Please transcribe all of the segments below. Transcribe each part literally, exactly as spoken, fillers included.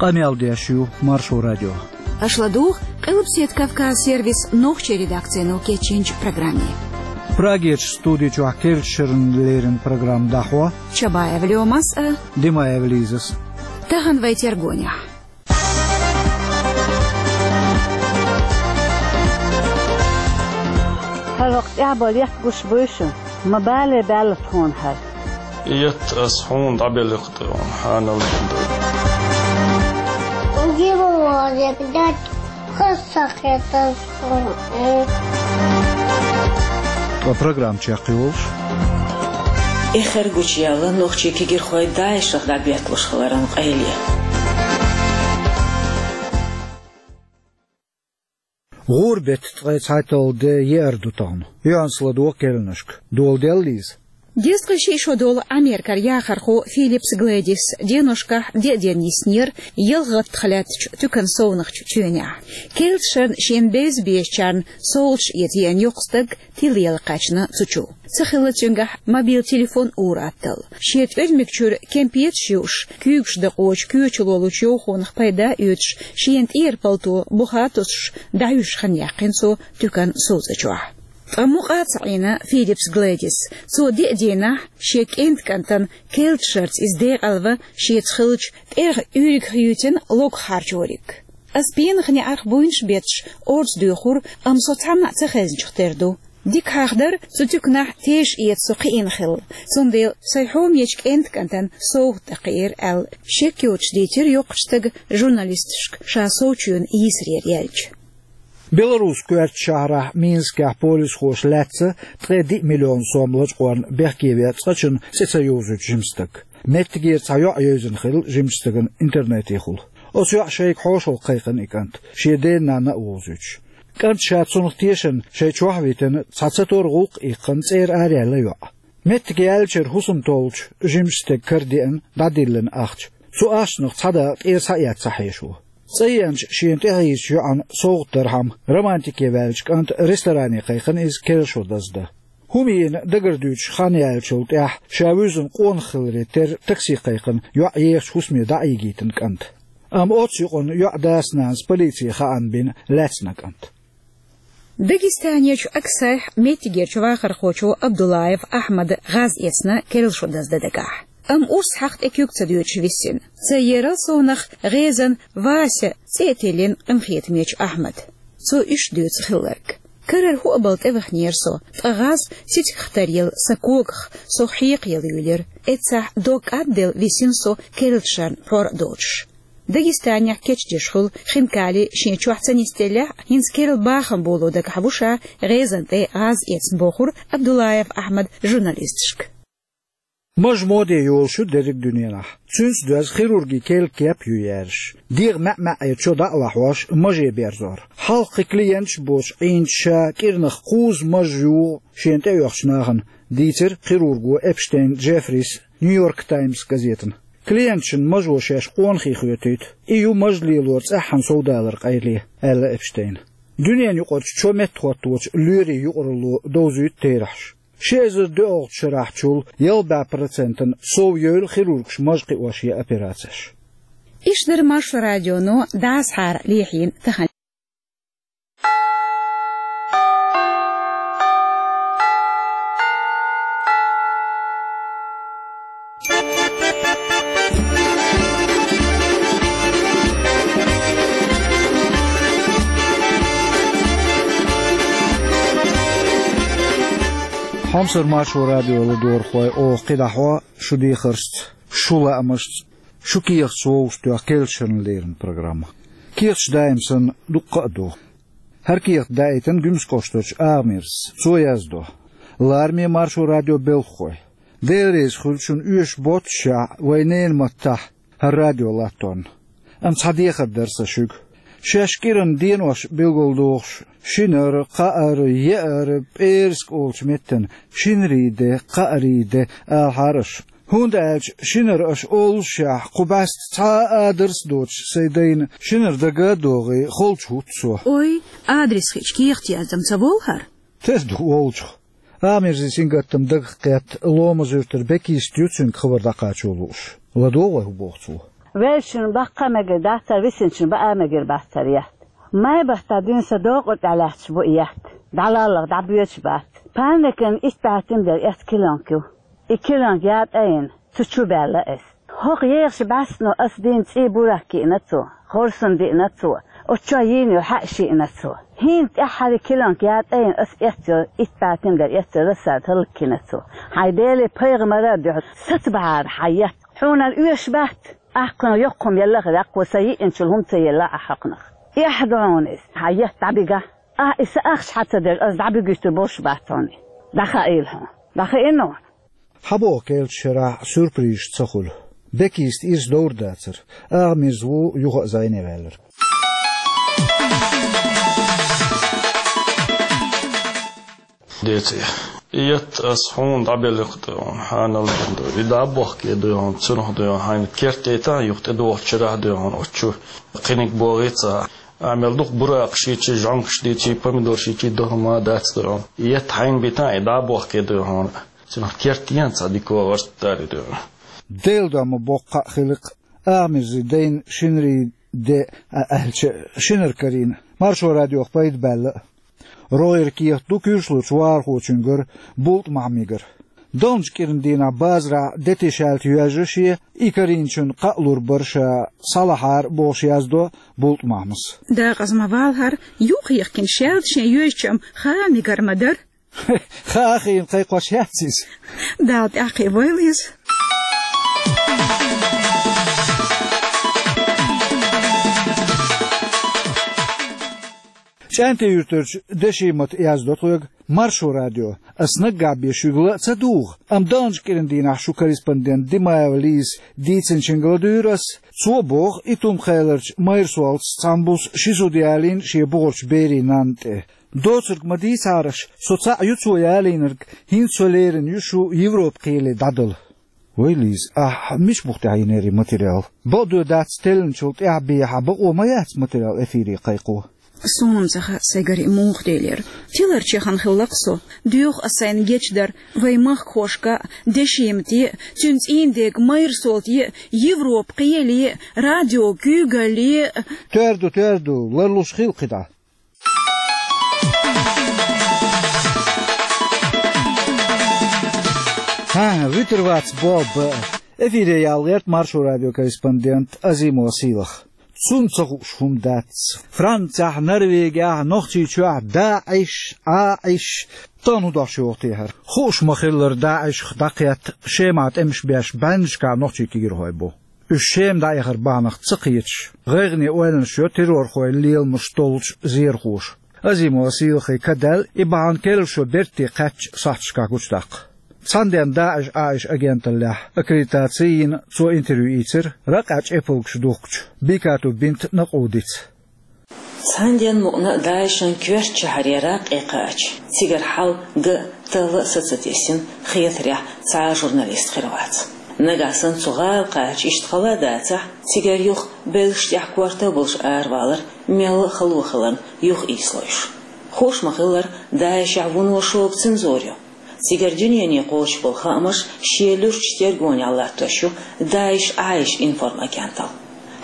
Къамел деш ю Маршо радио. Аша ладугӀу Къилбаседа Кавказ сервисан нохчийн редакцино кечйинчу программе. Прагерчу студи чохь керлачу шеран леррина программа дӀахьо Чабаева Лёмас а, Димаева Лизас. Тахана вай тергонехь. ХӀара вакъ тӀехь бан летта гуш буй шу? Ма бале баьлла тхуна хӀара. Етта ас хьуна дӀабелла кху тӀе хьуна хьанал ду. Угима вале, блядь, хасса хеташ хьуна. Ткъа программа чекхйолуш. Эххар гучуяьлла нохчийн кегийрхой ДАИШах дӀабетталуш хиларан къайле. ГӀур беттан ткъе цхьайтталгӀа де еара ду тахана. Юьхьанца ладогӀа керланашка. Дола делла, Лиза? Дезткъе шиъ шо долу Америкера яхархо Филлипс Глэдис деношкахь деа ден йиснера ялх гӀаттах лаьттачу туькан совнахчу чоьнехь. Керлачу шарна шена бевза безачарна совгӀаташ эца еана йоккха стаг тилла яла кхаьчна цу чу. Ца хилла цуьнгахь мобил телефон ур-атталла. Шен тӀоьрмиг чуьра кемпеташ юуш, куьйгаш дакъочу коьчалолучу йовхонах пайда а оьцуш, шена тӀера палто буха а тосуш, дӀахьуьжуш хан яьккхина цо туькан совцӀа чохь. Ткъа мукъа а ца Ӏийна Филлипс Глэдис. Цо деа дийнахь шен кӀентан кӀантана керлачу шарца иза декъалва шеца хиллачу тӀерха уьйригах юьйцина логах хьарчориг. Ас пенах неӀарх буйнаш бетташ орца доьхура, амма со цхьанна а ца хезначух тера ду. Дика хьахдар, цу туьканахь теша эца со кхиъна хилла. Цундела сайн хьоме йечу кӀентан кӀантана совгӀат дан кхиира аьлла, шек йоцуш дийцира йоккхачу стага журналисташка ша совчоьнан йийсарера яьлча. Беларусин коьртачу шахьарахь Минскехь полисхоша лаьцна ткъе диъ миллион сом лачкъорна бехке веа цкъачунна цӀе ца йовзуьйту жима стаг. Меттигера цхьа йоӀ евзина хилла жимачу стагана интернетехула. Оцу йоӀан шайга хьошалгӀа кхайкхина и кӀант, шен дена-нанна а вовзуьйтуш. КӀанта ша цунах тешарна шайн чохь а витина, цхьа ца тора гӀуллакх а иккхина, цӀера араяьлла йоӀ. Меттиг яьллачуьра хӀусам толлучу жимачу стеган кара деана дӀадиллина ахча. Цу ахчанах цхьа дакъа тӀера схьаэца ца хьеша ву. ЦӀа еанчу шена тӀехьийзачу йоӀана совгӀат дархьама романтике ваьллачу кӀанта ресторане кхайкхина иза керла шо даздан. ХӀума йина дагардуьйцуш хан яьллачул тӀаьхьа ша вуьззина къонах хиларе терра такси кхайкхина йоӀ ехачу хӀусаме дӀа а йигийтина кӀанта. Амма оццу юкъанна йоӀан дас-нанас полице хаам бина лаьцна кӀант. Дагестанерчу Аксайхь меттигерчу вахархочо Абдуллаев Ахьмада гӀаз эцна керла шо даздан дагахь. Амма урс хьаха тӀе куьг ца доьдуш висина. Цаерал совнаха гӀезан Вася цӀе а тиллина къинхетамечу Ахьмада. Цо иштта дуьйцу хилларг. Карара хӀуъа балла тӀеваханера со, ткъа гӀаз цицигах таръелла сан когах, со хьекха яла юьйлира. Эццахь дог кӀадделла висина со керлачу шарна пхьор а доцуш. Дагестанехь кечдеш хуьлу хинкали шен чохь ца нисделлехь а, хӀинца керла бахам боло дагахь ву ша гӀезан тӀе гӀаз эцна, бохура Абдуллаев Ахьмада журналисташка. Маж моде йолуш ю дерриг дуьненахь. Цуьнца доьзна хирургин керла кеп а ю яьржаш. ДегӀан маьӀ-маьӀӀера чо дӀа а лахьош, маже берзор. Хьалха кхин клиенташ а боцуш Ӏийначу ша кӀиранах кхузза маж югӀу шена тӀеоьхучу нахана, дийцира хирурго Эпштейн Джеффрис Нью-Йорк Таймс газетана. Клиенташна мажо шаьш къонахий хоьтуьйту. И ю маж лелоран цӀеххьана совдаларан къайле, аьлла Эпштейна. Дуьненаюкъарчу чо меттахӀотточу лоьрийн юкъаралло довзуьйту терахьаш. Ши эзар доьалгӀачу шарахьчул ялх бӀе процентана сов йойла хирургаша маж кхиош я операцеш. Иштта дара Маршо радионо дӀасахьара лехьийна тахана. Хьомсара Маршо радион ладогӀархой, оха кхидӀа хьо шу дехаршца, шу лаамашца, шу кехаташ вовшахтоьху керлачу шеран леррина программа. Кехаташ даим санна дуккха а ду. ХӀара кехат даийтина Гуьмсан кӀоштарчу Агамирзас. Цо яздо: «Лараме Маршо радион белхахой. Дела реза хуьлда шуна оьшуш боццушехь вайн ненан маттахь хӀара радио латторна. Амма цхьа дехар дара сан шуьга. Шаьш кӀиранан денош билгалдохуш, шинара, кхаара, еара, пӀераска олучу меттана шинарий де, кхаарий де алахьара аша. ХӀунда аьлча шинара аша оллушехь, кху бӀаьста цхьа а адрес а доцуш сайн дайна шинара дага а догӀий, холчу хӀутту со». Ой, адрес хиъча, кехат яздам ца волу хӀара? Тера ду волчух. Агамирзин сингаттам дагах кхетта, Ломан-Юьртара Бекист ю цуьнга хабар дӀакхачо лууш. ЛадогӀа вай, хӀун боху цо. Вевзачун баккха а мегар бац, висначун баа а мегар бац ер етт. Май баттахь дуьйна сан докъур тӀехь лаьтташ бу и етт. ДӀалаллалц дӀабоьдуш бац. Панникан итт бӀе тиндер эцна килонка ю. И килонка ятӀа а йина, цу чу баьлла иза. ХӀокху ехаш бӀаьстано ас дийна цӀий бурак йиъна цо, хорсун диъна цо, оцу чохь йийна йолу хьаъш йиъна цо. ХӀинца тӀаьххьара килонка ятӀа а йина ас эцна йолу итт бӀе тиндер эцна йолу рассада хӀаллакйина цо. Хьайн Деле, пайхамаре а дуьхьал, сацабахьара хьан етт. Хьуна оьшуш бац, ахь кхунах йоккха хӀума елла а хир, кхо сан йиъначул хӀума ца елла ахь хьокхунах. Эхь ду хьуна иза, хьан етт дӀабигахь. Ахь и сан ахча хьан ца дерг ас дӀабигуьйтур болуш бац хьуна. ДӀахаийла хьуна. ДӀахаийна хьуна. Хьан боху керлачу шарахь сюрпризаш ца хуьлу? Бекиста ирс довр дацара. Агӏа-Мирза ву юха а зӀене ваьлларг. Деций. И етт ас хьуна дӀабелла кху тӀе хьуна, хьанал ду. И дӀа а бохке ду хьуна, цунах ду хьуна, хьайна керт тӀетан, юха тӀедогӀучу шарахь ду хьуна, оцу чу кхиниг богӀий ца. Амел дукха буракаш йичий, жӀонгаш дийций, помидорш йичий, дохма дац ду хьуна. И етт хьайна битан, и дӀа а бохке ду хьуна. Цунах керт ян цхьа дика вогӀуш дарий ду хьуна. Делан дом ма боккха а хилира. Агӏа-Мирзин дайна шинарин де а аьлча, шинара карийна. Маршо радиох пайда баьлла. РогӀера кехат ду куьйршлучу вахархочуьнгара, БултӀа-Махьмигара. Далначу кӀиран дийнахь базарахь де тешалла йоьжна шен, и карийначунна кхаъ лур бара ша, схьалахьара бохуш яздо БултӀа-Махьмас. Декъаза ма валахьара, юххехкина шаьлта шен йоьжначу-м хаа мегар ма дара. Хаа хиъна кхайкхош яц иза. Дала тӀаьхьакхиа войла иза. ЧӀаьнтан-Юьртарчу Дешимата яздо тхоьга, Маршо радио. Ас наггахь бен шуьга ла а ца дугӀу, амма далначу кӀиран дийнахь шун корреспондент Димаева Лизас дийцинчуьнга ладуьйра ас. Цо боху, Итум-Кхаьлларчу Майрсолтас цхьана буса ши зуда ялийна шен бухарчу берийн нанна тӀе. Доцург ма дийцахьара аш, со цхьаъ ю цо ялийнарг, хӀинца со лерина ю шу Европа-кхеле дӀадала. Вай, Лиза, ахь мича бух тӀехь йинера и материал? Бакъдоьду дац, теллинчул тӀаьхьа бен хьан бакъо ма яц материал эфире кхайкхо. Суна ца хаьа сайгара и муха делира. Тиларчехан хилла-кх со. Доьху ас сайна гечдар вайн махкахошка а, Дешимате а, цуьнан цӀийнан дега Майрсолте а, Европа-кхеле а, радио куьйгалле а. Тоьар ду, тоьар ду, ларлуш хила кхидӀа. ХӀан, вуьтур вац бо б. Эфире яла гӀерта Маршо радион корреспондент Азимова Сийлаха. Цунна ца хууш хӀума дац. Францехь, Норвегехь, Нохчийчохь ДАИШ, ӀАИШ, тахана хӀун дош йоху техьара. Хууш ма-хиллара, ДАИШах дӀакхетта Шемахь тӀемаш беш баьннашкахь нохчийн кегийрхой бу. Уьш Шема дӀаэхар бахьанах ца кхеташ, гӀайгӀане ойланаш йо террорхойн леламаш долчу зерхоша. Азимова Сийлахе ка даьлла и бахьана керлачу шо берте кхаьчча сахьташкахь гучудаккха. Цхьана денна ДАИШ, ӀАИШ агенталлехь аккредитаци йина цо интервью ийцира ракъехь чӀепалгаш духкучу Бикату бинт Накъудица. Цхьана денна мукъана а ДАИШан коьртачу шахьаре ракъе кхаьчча, цигара хьал ган а, талла а са ца тесна, хетарехь цхьа а журналист хир вац. Нагахь санна цу гӀала кхаьчча иштта хала а дацахь, цигара юха белшаш тӀехь корта а болуш аравалар мелла а хало хиларна юха ийсалойш. Хууш ма-хиллара, ДАИШехь вуно шога цензура ю. Цигара дуьнене кхочуш болу хаамаш шен луьрачу тергонехь латтош ю ДАИШ, ӀАИШ информагенталла.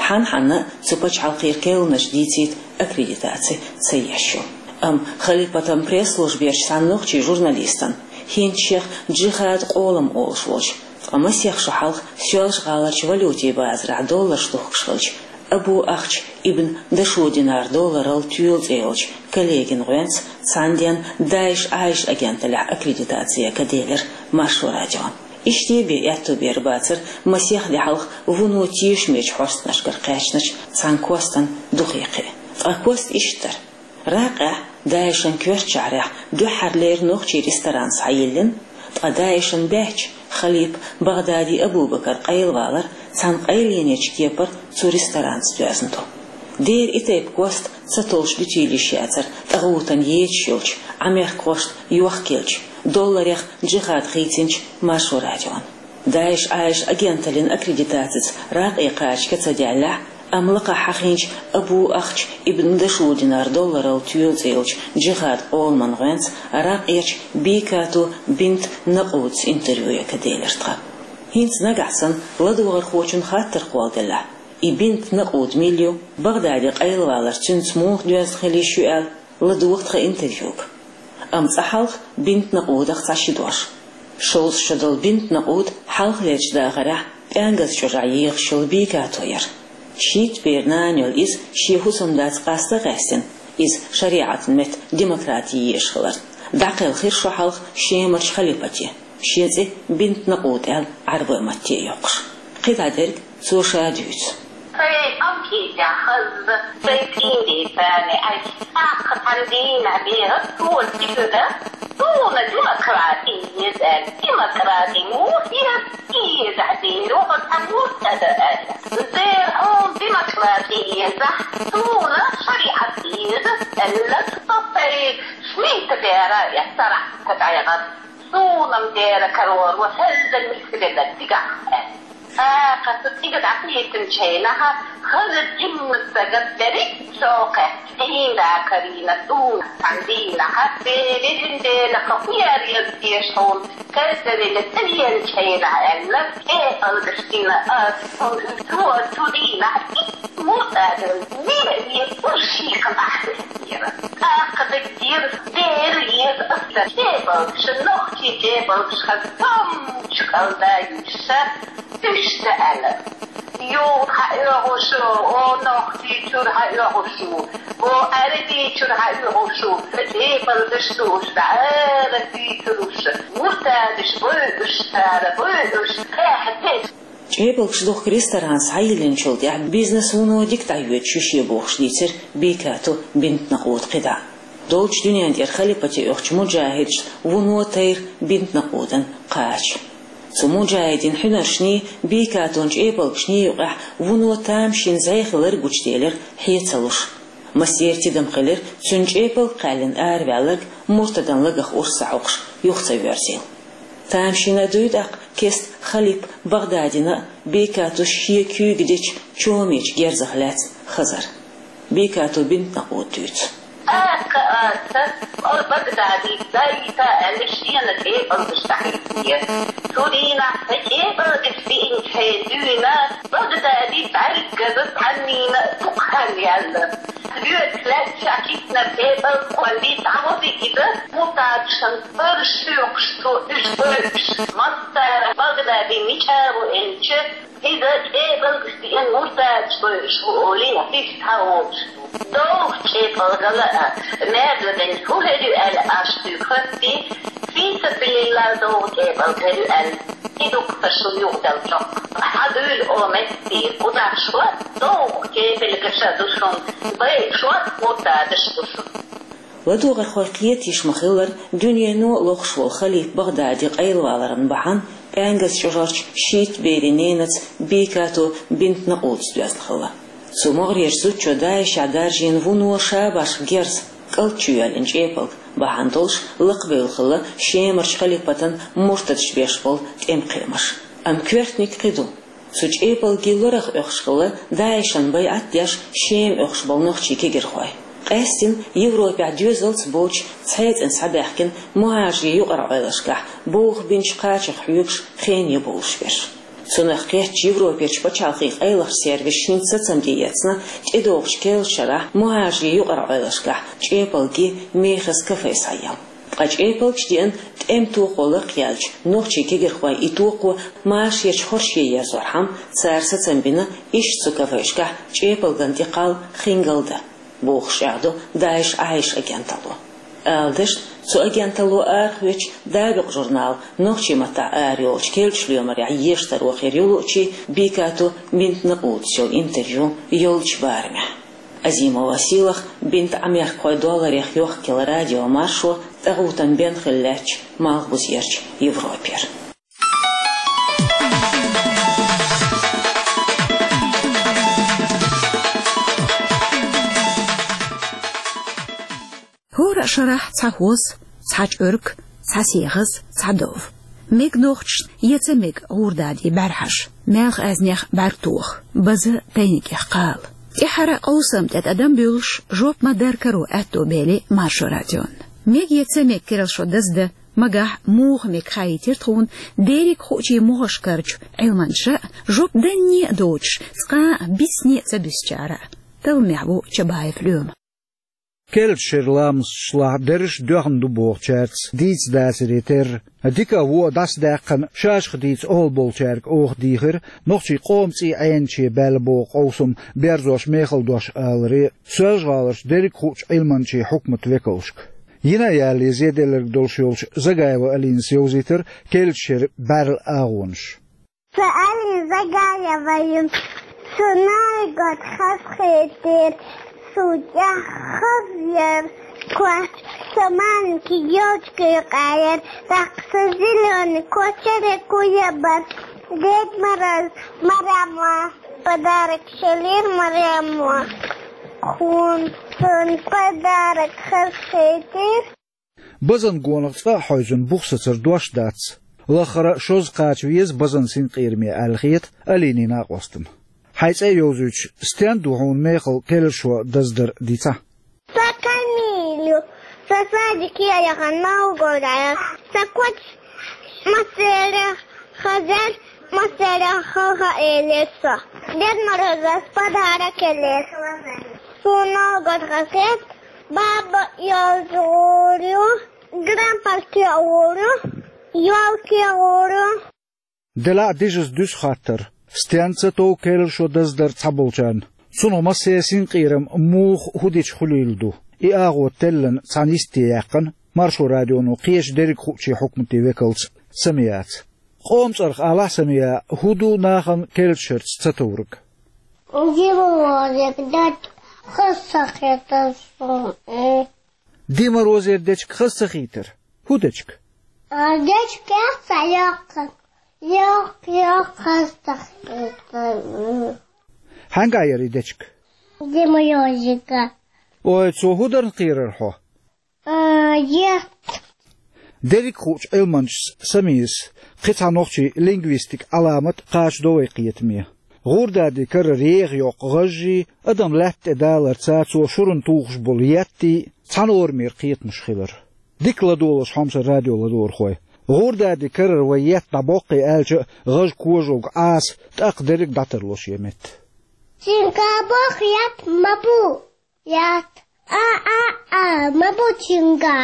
Хьан-хьанна а цу пачхьалкхера керланаш дийцийта аккредитаци ца еш ю. Амма халипатан пресс-служберчу цхьана нохчийн журналистана, хӀинца шех Джихад къолам олуш волчу, ткъа масех шо хьалха Соьлжа-ГӀаларчу валютийн базарахь долларш духкуш хилча, Абу Ахч ибн Дашудинар долларал тоьла цӀе йолчу коллегин гӀоьнца цхьана денна ДАИШ, ӀАИШ агенталлехь аккредитаци ка делира Маршо радион. Иштта бен аьтту бер бацара масех де хьалха вуно тешамечу хьостанашкара кхаьчначу цхьана костан духе кхиа. Ткъа кост иштта дара. Ракъехь, ДАИШан коьртачу шахьарехь дуьххьарлера нохчийн ресторан схьайиллина, ткъа ДАИШан баьчча, халипа Багъдади Абу-Бакар къайлавалар цхьана къайленечу кепара цу ресторанца доьзна ду. Дера и тайпа кост ца толлуш дуьтийла йиш яцара тӀагӀутан ечаш йолчу, Ӏамеркахошна йохкаеллачу, долларех Джихад хийцинчу Маршо радион. ДАИШ, ӀАИШ агенталлин аккредитацица ракъе кхача ка ца даьллехь, амма лакхахь хьахийначу Абу Ахч ибн Дашудинар долларал тоьла цӀе йолчу Джихад къоламан гӀоьнца ракъерчу Бикату бинт Накъудца интервью ка делира тхан. ХӀинца нагахь санна ладогӀархочун хаттар кхолладеллехь, И Бинт Накъуд мила ю, Багъдаде къайлавалар цуьнца муха доьзна хилла йиш ю аьлла, ладугӀу тхан интервьюга. Амма цкъа хьалха Бинт Накъудах цхьа ши дош. Шовзткъа шо долу Бинт Накъуд хьалхалерчу дахарехь ПӀаьнгаза чӀожахь ехаш йолу Бекато яра. Шийтта беран нана йолу иза шен хӀусамдаца къаста а къаьстина, иза шариӀатан метта демократи езаш хиларна, дӀакхелхира шо хьалха Шемарчу халипате, шен цӀе Бинт Накъуд аьлла Ӏарбойн матте а йоккхуш. КхидӀа дерг цо ша дуьйцу. Сайн къамкъийтехь хаза, сайн цӀийнан дийцане, ай, тӀаккха цхьана дийнахь беха, цо тигара, суна демократи еза аьлла, демократи муха еза, еза дийр ву хьо цхьа муртада аьлла. Дера хьуна демократи езахь, суна шариӀат еза аьлла, со сайн шийтта бера эцарахь ца дӀайгӀар. Суна-м дера карор ву, хӀезза миска велла цигахь аьлла. ТӀаккха цу цӀийга дӀакхийтинчу хенахь, хаза жимма стаг берриг а чӀогӀа кхетта, цӀийнда карийна суна цхьана дийнахь, везан Дела, хӀун яра еза теша хьуна, хӀезза велла цӀа веанчу хенахь аьлла, кӀепалгаш дина ас, хӀунда цо цу дийнахь итт муртадана вен а вен, уьш шийхан ахь веара. ТӀаккха дагадеара, дера еза аса кӀепалгаш, нохчийн кӀепалгаш хаза томмачу кӀалда юьйша, уьш ца аьлла. Юха хьаоьхуш ву, о, нохчий чуьра хьаоьхуш ву, о, Ӏаьрбий чуьра хьаоьхуш ву, кӀепалгаш ду уьш, дӀа ара дуьйцур уьш, муртадаш бу уьш, цара бу уьш, кхехьа деш. ЧӀепалгаш духку ресторан схьайиллинчул тӀаьхьа бизнес вуно дика дӀайоьдуш ю шен бохуш дийцира Бекато Бинт Накъуда кхидӀа. Долчу дуьнен тӀера халипате оьхучу муджахӀидашна вуно тайра Бинт Накъудан кхача. Цу муджахӀидийн хьуьнаршний, Бекатон чӀепалгашний юкъахь вуно тамашийна зӀе хилар гучуделира хье ца луш. Массеран тидам хилира цуьнан чӀепалг кхаьллина араваьлларг муртадан лагах урс ца хьокхуш юха ца воьрзийла. Тамашийна дуй тӀаккха кеста халипа Багъдадина а, Бекатос шен куьйга дечу чомечу герзах лаьцна хазар. Бекато Бинт Накъуда дуьйцу. ТӀаккха аса, о, Багъдади, дайта аьлла, шена кӀепалгаш дӀахӀиттинера. Цу дийнахь сан кӀепалгаш биъинчу хье дуьйна, Багъдади бӀаьргаза цхьаннийна а дукха хан яьлла. Лоьцу лаьтташ кхийтинарг кӀепалг кхоллий, дӀагӀо иза, муртадашна бара шоьхуш цо уьш бевзаш. Массара Багъдади мича ву элча, иза кӀепалгаш диъна муртадаш бевзаш ву олий, иштта схьавогӀуш ву. Довха кӀепалгала а, маьрша дерг хӀун хир ю аьлла, аш дуьйху хӀоттий, фи сабилиллахӀ довха кӀепалг хир ю аьлла, и дуккха шу юхадала чӀогӀа. Хьан дуьйла о меттий, кхузахь шуьца довха кепалгаша ду шуна, бай шуьца муртадаш ду шуна. ЛадогӀархой кхетийша ма-хиллара, дуьнено а лохуш волу халипа Багъдади къайлаваларан бахьана ПӀаьнгаза чӀожарчу шийтта берийн ненаца Бекато Бинт Накъудас доьзна хилла. Цу могӀарерчу зудчо ДАИШехь даржийна вуно шабашка герз, кӀалт чу йоьллина чӀепалг бахьана долуш лакхабевлла хилла Шемарчу халипатан муртадаш беш болу тӀеман кхиамаш. Амма коьртаниг кхин ду. Цу чӀепалгий лорах оьхуш хилла ДАИШан байӀат деш Шема оьхуш болу нохчийн кегирхой. Къаьстина Европехь доьзалц боцуш цхьаьна цӀена схьабаьхкина мухӀажарийн юкъара Ӏойлашкахь бовха бинчу кхачех хьоьгуш, хене бовлуш берш. Цунах кхеттачу Европерчу пачхьалкхийн къайлахчу сервисаша хӀинца сацам тӀеэцна, тӀедогӀучу керла шарахь мухӀажарийн юкъара Ӏойлашкахь чӀепалгий мехаза кафе схьаяла. Ткъа чӀепалгаш диъна тӀеман тохо лакхъяьллачу нохчийн кегирхойн и тохо машаречу хӀорше ерзорхьама, цара сацам бина иштта цу кафешкахь чӀепалган тӀе кхалла хингал дан, бохуш чӀагӀдо ДАИШ Ӏайша агенталло. Ала дашна, цу агенталло арахоьцучу «Дабикъ» журнала нохчийн маттахь арайолчу керлачу лоьмарехь ешан таро хир ю луучийн Бекато Бинт Накъудас йолу интервью йолчу барамехь. Азимова Сийлаха, Бинт Ӏамеркахой долларех йохкаелла радио Маршо, тӀагӀутан бен хилла лаьттачу Малхбузерчу Европера. ХӀора а шарахь цхьа хӀоз, цхьа чӀорг, цхьа сехаз, цхьа дов. Мега нохчашна я ца мега гӀурдадий бӀаьрхьаш, маьлха аьзнех бӀаьрг тоха, база тайнигех кхала. ТӀаьххьара къовсам тӀе тӀадам буьллуш, жоп ма-дарра каро аьтто бели Маршо радион. Мега я ца мега керла шо даздан, Магахь муха мега хаийтира тхуна дерриг хуучийн могӀашкарчу Ӏилманчаша а, жоп данне а доцуш, цкъа а бисне а ца буьсучара а. Талламехь ву Чабаев Лоьма. Керлачу шеран ламасташлахь, дерриш а доьхна ду бохучаьрца дийца дацаре терра, дика а, вон а дӀасадаьккхина, шаьшшиъ дийца охьа болчаьрга оха дийхира нохчийн къоман цӀий Ӏенаш баьлла боху къовсам берзош мехала дош аларе Соьлжа-ГӀаларчу дерриг хуучу Ӏилманчийн хьукматан векалшка. Йина а ялале зеделларг долуш йолчу Загаева Алинас йовзийтира керлачу шеран бӀаьрла агӀонаш. Сан Алина Загаева ю, сан нойгот хазахетира, сан тӀехь хаза яра коч, сан маленький ёлочка юкъа яра, тӀаккха сан зелёный кочере куябара, Дед Мороз Марема подарок шелира Марема. Хьуна сан подарок хазахетира. Базан гонах цкъа а хьовзийна бух сацар дош дац. Лаххара шозза кхача веза базан синкъераме аьлла хета Алинин накъостана. Хьайн цӀе а йовзуьйтуш, стенна ду хьуна мехала керлашо даздар дийцахьа? Сан Камиль ю, сан садике а яхана Новгороде. Сан коч массеран хаза яра, массеран хала хьаэлира со. Дед Морозас подарок елира. Суна Новгород хазахета, баба йолчу гӀур ю, грампалке гӀур ю, ёлке гӀур ю. Делахь а дижаза дуьсу хаттар: стенна ца тов керлашо даздар цхьаболчарна? Цунах массеран синкъерам муха, хӀун дича хуьлийла ду? И агӀо теллина цхьана йисте яьккхина Маршо радионо кхечу дерриг хуучийн хьукматийн векалца Самиаца. Къоман цӀарах алахь, Самия, хӀун ду нахана керлачу шерца ца товриг? Дед Морозера дечка хаза ца хетара суна. Дед Морозера дечка хаза ца хийтара? ХӀун дечка? А, дечка яц сан йоккха. Йоккха, йоккха хаза ца хетара. Хьаьнгахь яра и дечка? Дед Морозера. Ой, цо хӀун дарна кхерара хьо? А, е. Дерриг хуучу Ӏилманчас Самиас кхин цхьа нохчийн лингвистикан Ӏаламат кхачадо вай кхетаме. ГӀурдади карара еха йоккху гӀажжий, адам лаьтта тӀе даларца цо шуран тухуш болу еттий цхьана орамера кхетамаш хилар. Дика ладогӀалаш, хьомсара радио ладогӀархой. ГӀурдади карара вай етт дӀабоккхий аьлча, гӀажа кожалг Ӏаса, тӀаккха дерриг дӀатарло шен метта. Цуьнга боху етт ма бу. Етт. А, а, а, ма бу цуьнга.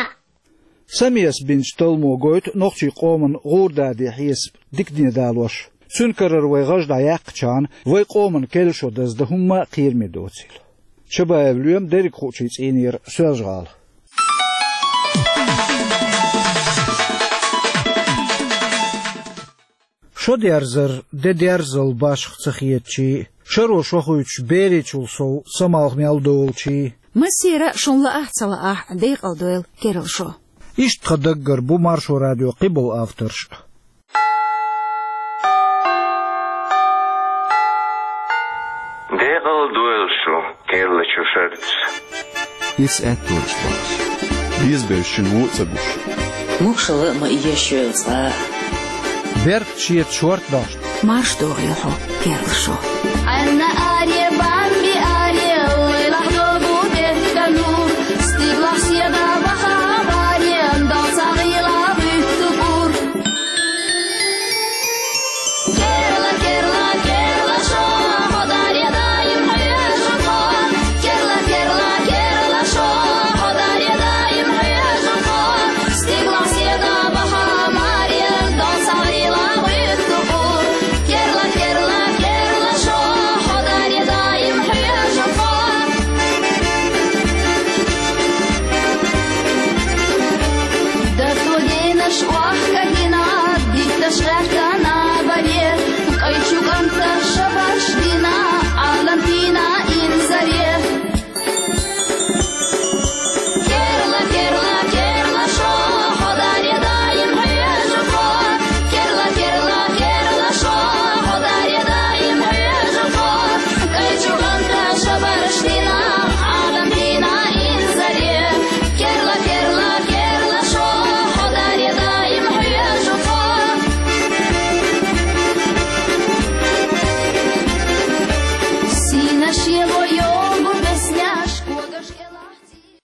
Самиас бинчу талламо гойту нохчийн къоман гӀурдади хьесап дикане далош. Цуьнан карара вай гӀажа дӀаяьккхичхьана, вай къоман керлашо даздан хӀумма а кхераме доцийла. Чабаев Лоьма, дерриг хуучийн цӀийнера, Соьлжа-ГӀала. Шо дерзар де дерзал башха ца хетачий, шаро шо хуьйцуш беричул сов самалх мел долчий. Массера а шуна лаахь а, ца лаахь а, декъала дойла керла шо. Иштта тхан даггара бу Маршо радион кхиболу авторш а. Декъала дойла шу керлачу шерца. Иза аьтто йолуш бахьаш. Беза бевзаш шина вон а ца гуш. Могушалла а ма еш йойла цкъа. Беркат шеца шорта дошна. Марша догӀийла хьо, керла шо.